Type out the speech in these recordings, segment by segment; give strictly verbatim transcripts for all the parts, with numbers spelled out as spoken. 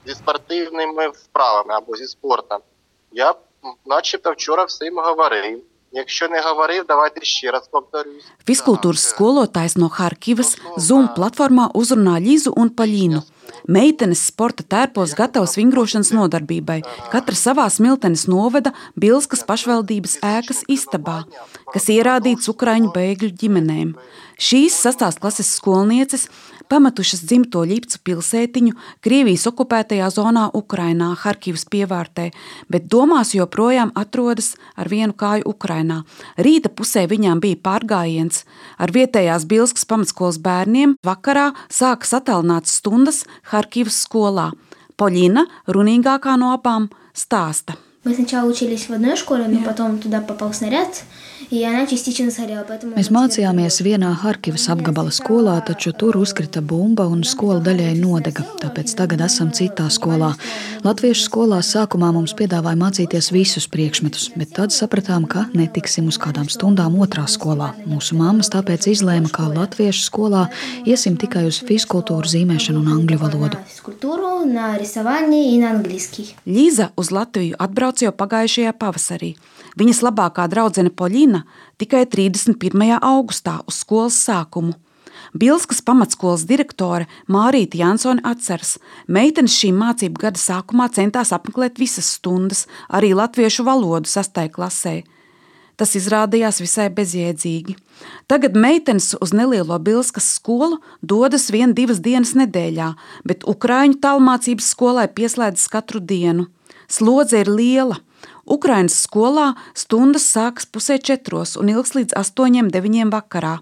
зі спортивними вправами або зі спортом. Я начебто вчора всім говорив. Якщо не говорив, давайте ще раз повторюсь. Fiskultūras skolotājs no Harkivas Zoom platformā uzrunā Ļizu un Paļinu. Meitenes sporta tērpos gatavas vingrošanas nodarbībai. Katra savā smiltenes noveda Bilskas pašvaldības ēkas istabā, kas ierādīts ukraiņu bēgļu ģimenēm. Šīs sastās klases skolnieces pametušas dzimto Ļipcu pilsētiņu Krievijas okupētajā zonā Ukrainā, Harkivas pievārtē, bet domās joprojām atrodas ar vienu kāju Ukrainā. Rīta pusē viņām bija pārgājiens ar vietējās Bilskas pamatskolas bērniem. Vakarā sākas attālinātas stundas Harkivas skolā. Paļina, runīgākā no abām, stāsta. Мы сначала учились в одной школе, но потом туда попал снаряд, и она частично сгорела. Mēs mācījāmies vienā Harkivas apgabala skolā, taču tur uzkrita bumba un skola daļai nodega, tāpēc tagad esam citā skolā. Latviešu skolā sākumā mums piedāvāja mācīties visus priekšmetus, bet tad sapratām, ka netiksim uz kādām stundām otrā skolā. Mūsu mammas tāpēc izlēma, ka latviešu skolā iesim tikai uz fiskultūru, zīmēšanu un angļu valodu. Ļiza uz Latviju atbrauc jau pagājušajā pavasarī. Viņas labākā draudzene Paļina tikai trīsdesmit pirmajā augustā uz skolas sākumu. Bilskas pamatskolas direktore Mārīta Jansone atceras, meitenes šī mācību gada sākumā centās apmeklēt visas stundas, arī latviešu valodu sastajā klasē. Tas izrādījās visai bezjēdzīgi. Tagad meitenes uz nelielo Bilskas skolu dodas vien divas dienas nedēļā, bet ukraiņu tālmācības skolai pieslēdzas katru dienu. Slodze ir liela. Ukrainas skolā stundas sākas pusē četros un ilgs līdz astoņiem, deviņiem vakarā.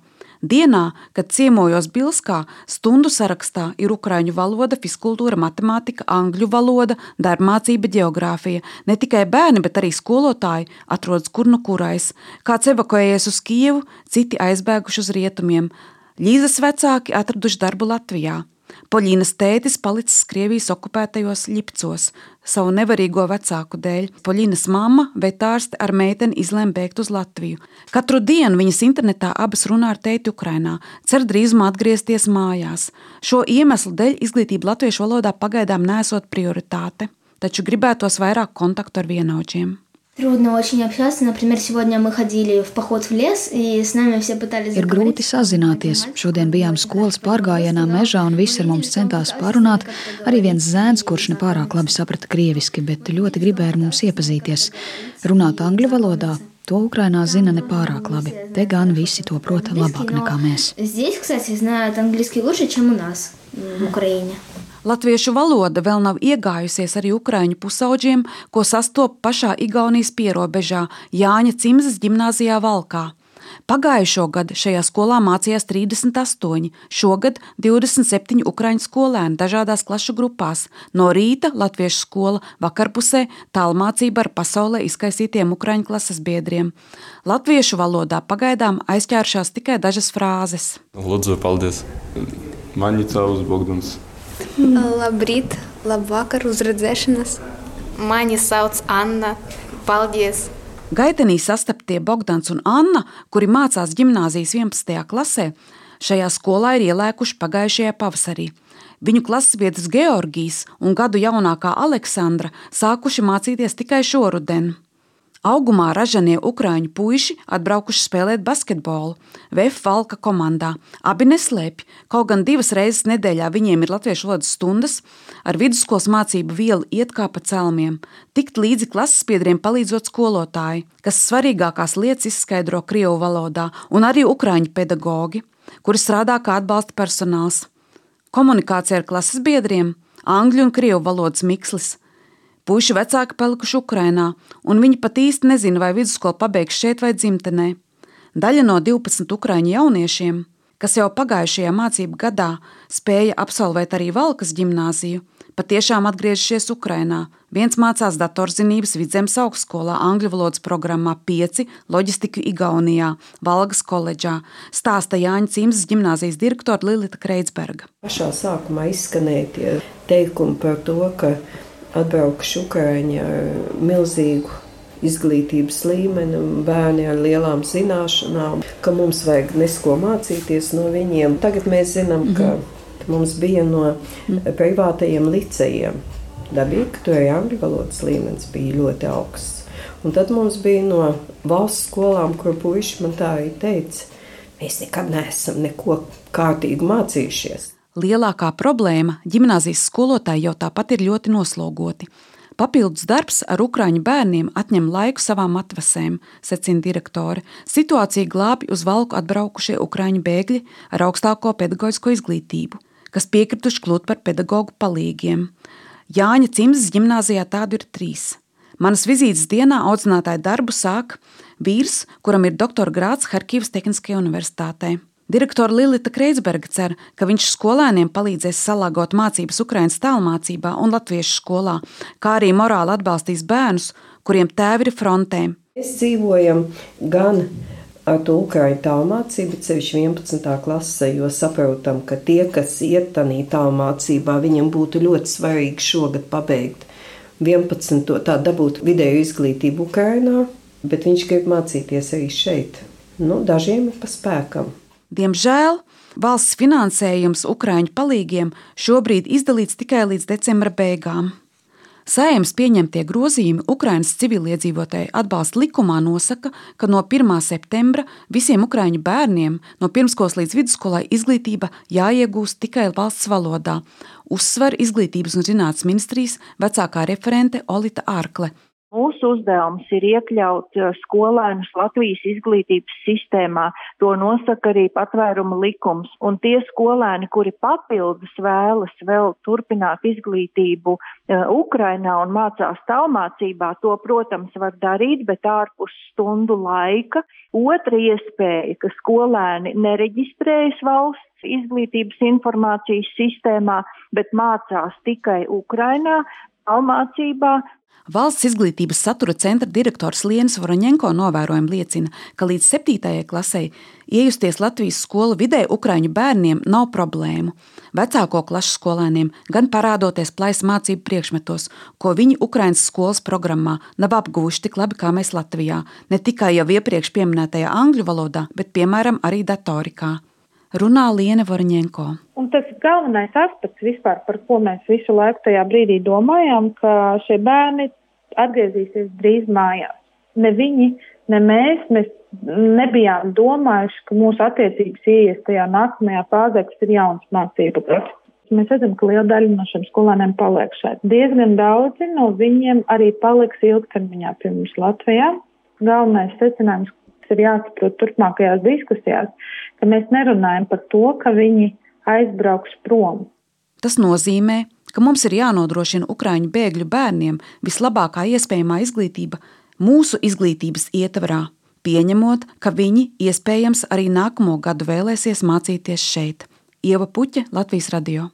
Dienā, kad ciemojos Bilskā, stundu sarakstā ir ukraiņu valoda, fiskultūra, matemātika, angļu valoda, darbmācība, ģeogrāfija. Ne tikai bērni, bet arī skolotāji atrodas kur nu kurais. Kāds evakuējies uz Kijevu, citi aizbēguši uz rietumiem. Ļizas vecāki atraduši darbu Latvijā. Paļinas tētis palicis Krievijas okupētajos Ļipcos savu nevarīgo vecāku dēļ. Paļinas mamma, vetārste ar meiteni izlēma bēgt uz Latviju. Katru dienu viņas internetā abas runā ar tēti Ukrainā, cer drīzumā atgriezties mājās. Šo iemeslu dēļ izglītība latviešu valodā pagaidām nesot prioritāte, taču gribētos vairāk kontaktu ar vienaudžiem. Трудно очень общаться. Например, сегодня мы ходили в поход в лес, и с нами все пытались Ir grūti sazināties. Šodien bijām skolas pārgājienā mežā, un visi ar mums centās parunāt. Arī viens zēns, kurš nepārāk labi saprata krieviski, bet ļoti gribēja ar mums iepazīties. Runāt angļu valodā, to Ukrainā zina nepārāk labi. Te gan visi to prot labāk nekā mēs. Здесь, кстати, знают английский лучше, чем у нас в Украине. Latviešu valoda vēl nav iegājusies arī ukraiņu pusauģiem, ko sastop pašā Igaunijas pierobežā Jāņa Cimzas ģimnāzijā Valkā. Pagājušo gadu šajā skolā mācījās trīsdesmit astoņi, šogad divdesmit septiņi ukraiņu skolēni dažādās klašu grupās. No rīta latviešu skola, vakarpusē tālmācība ar pasaulē izkaisītiem ukraiņu klases biedriem. Latviešu valodā pagaidām aizķēršās tikai dažas frāzes. Lūdzu, paldies. Mani caus Bogdans. Labrīt, labvakar, uz redzēšanas. Mani sauc Anna. Paldies! Gaitenī sastaptie Bogdans un Anna, kuri mācās ģimnāzijas vienpadsmitajā klasē, šajā skolā ir ielēkuši pagājušajā pavasarī. Viņu klasbiedrs Georgijs un gadu jaunākā Aleksandra sākuši mācīties tikai šoruden. Augumā ražanie ukraiņu puiši atbraukuši spēlēt basketbolu V F Valka komandā. Abi neslēpj, kaut gan divas reizes nedēļā viņiem ir latviešu valodas stundas, ar vidusskolas mācību vielu iet kā pa celmiem, tikt līdzi klasesbiedriem palīdzot skolotāji, kas svarīgākās lietas izskaidro krievu valodā, un arī ukraiņu pedagogi, kuri strādā kā atbalsta personāls. Komunikācija ar klasesbiedriem, angļu un krievu valodas mikslis. Puiši vecāki palikuši Ukrainā, un viņi pat īsti nezina, vai vidusskolu pabeigs šeit vai dzimtenē. Daļa no divpadsmit ukraiņu jauniešiem, kas jau pagājušajā mācību gadā spēja absolvēt arī Valkas ģimnāziju, patiešām atgriežušies Ukrainā. Viens mācās datorzinības Vidzemes augstskolā, angļu valodas programmā pieci, loģistiku Igaunijā, Valgas koledžā, stāsta Jāņa Cimzas ģimnāzijas direktora Lilita Kreitsberga. Pašā sākumā izskanēja tie teikumi par to, ka atbraukuši Ukraiņi ar milzīgu izglītības līmeni, bērni ar lielām zināšanām, ka mums vajag nesko mācīties no viņiem. Tagad mēs zinām, ka mums bija no privātajiem licejiem Dabīgi, ka tur arī angļu valodas līmenis bija ļoti augsts. Un tad mums bija no valsts skolām, kur puiši man tā arī teica, mēs nekad neesam neko kārtīgi mācījušies. Lielākā problēma ģimnāzijas skolotāji jau tāpat ir ļoti noslogoti. Papildus darbs ar ukraiņu bērniem atņem laiku savām atvasēm, secina direktore. Situācija glābi uz valku atbraukušie ukraiņu bēgļi ar augstāko pedagoģisko izglītību, kas piekrituši kļūt par pedagogu palīgiem. Jāņa Cimzes ģimnāzijā tādu ir trīs. Manas vizītes dienā audzinātāju darbu sāk vīrs, kuram ir doktora grāds Harkivas Tehniskajā universitātē. Direktore Lilita Kreitsberga cer, ka viņš skolēniem palīdzēs salāgot mācības Ukrainas tālmācībā un latviešu skolā, kā arī morāli atbalstīs bērnus, kuriem tēvi ir frontē. Mēs dzīvojam gan ar to ukraiņu tālmācību, cevišķi vienpadsmitā klasē, jo saprotam, ka tie, kas iet tanī tālmācībā, viņiem būtu ļoti svarīgi šogad pabeigt vienpadsmito tā dabūt vidēju izglītību Ukrainā, bet viņš grib mācīties arī šeit. Nu, dažiem ir pa spēkam. Diemžēl valsts finansējums Ukraiņu palīgiem šobrīd izdalīts tikai līdz decembra beigām. Saeimas pieņemtie grozījumi Ukrainas civiliedzīvotāju atbalsta likumā nosaka, ka no pirmā septembra visiem ukraiņu bērniem no pirmskolas līdz vidusskolai izglītība jāiegūst tikai valsts valodā, uzsver Izglītības un zinātnes ministrijas vecākā referente Olita Ārkle. Mūsu uzdevums ir iekļaut skolēnus Latvijas izglītības sistēmā, to nosaka arī patvēruma likums, un tie skolēni, kuri papildus vēlas vēl turpināt izglītību Ukrainā un mācās tālmācībā, to, protams, var darīt, bet ārpus stundu laika. Otra iespēja, ka skolēni nereģistrējas valsts izglītības informācijas sistēmā, bet mācās tikai Ukrainā, tālmācībā. Valsts izglītības satura centra direktors Lienis Voroņenko novērojumi liecina, ka līdz septītajai klasei iejusties Latvijas skolu vidē ukraiņu bērniem nav problēmu. Vecāko klašu skolēniem gan parādoties plaisa mācību priekšmetos, ko viņi Ukrainas skolas programmā nav apguvuši tik labi kā mēs Latvijā, ne tikai jau iepriekš pieminētajā angļu valodā, bet piemēram arī datorikā. Runā Liene Voroņenko. Un tas galvenais aspekts vispār, par ko mēs visu laiku tajā brīdī domājām, ka šie bērni atgriezīsies drīz mājās. Ne viņi, ne mēs, mēs nebijām domājuši, ka mūsu attiecības ieies tajā nākamajā fāzē, kas ir jauns mācību process. Mēs redzam, ka liela daļa no šiem skolēniem paliek šeit. Diezgan daudzi no viņiem arī paliks ilgtermiņā pie mums Latvijā. Galvenais secinājums, ir jāsaprot turpmākajās diskusijās, ka mēs nerunājam par to, ka viņi aizbrauks prom. Tas nozīmē, ka mums ir jānodrošina ukraiņu bēgļu bērniem vislabākā iespējamā izglītība mūsu izglītības ietvarā, pieņemot, ka viņi iespējams arī nākamo gadu vēlēsies mācīties šeit. Ieva Puķe, Latvijas radio.